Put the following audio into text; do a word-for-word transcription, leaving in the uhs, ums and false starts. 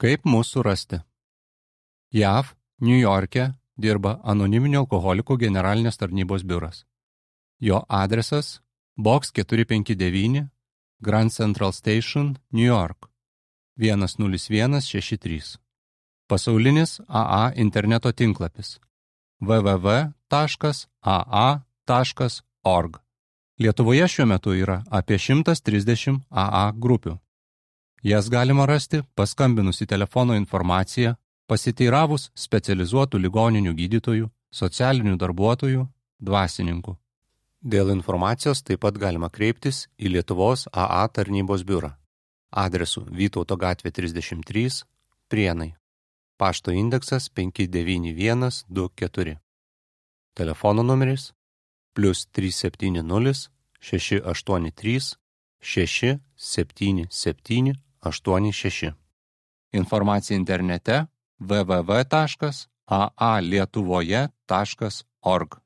Kaip mūsų rasti? J A V, Niujorke dirba Anoniminių alkoholikų generalinės tarnybos biuras. Jo adresas Box keturi penki devyni, Grand Central Station, New York, vienas nulis vienas šeši trys. Pasaulinis A A interneto tinklapis w w w taškas a a taškas org. Lietuvoje šiuo metu yra apie šimtas trisdešimt A A grupių. Jas galima rasti paskambinus į telefono informaciją, pasiteiravus specializuotų ligoninių gydytojų, socialinių darbuotojų, dvasininkų. Dėl informacijos taip pat galima kreiptis į Lietuvos A A tarnybos biurą. Adresu Vytauto gatvė trisdešimt trys, Prienai. Pašto indeksas penki devyni vienas du keturi. Telefono numeris plius trys septyni nulis šeši aštuoni trys šeši septyni septyni aštuoni šeši. Informacija internete w w w taškas a a lietuvoje taškas org.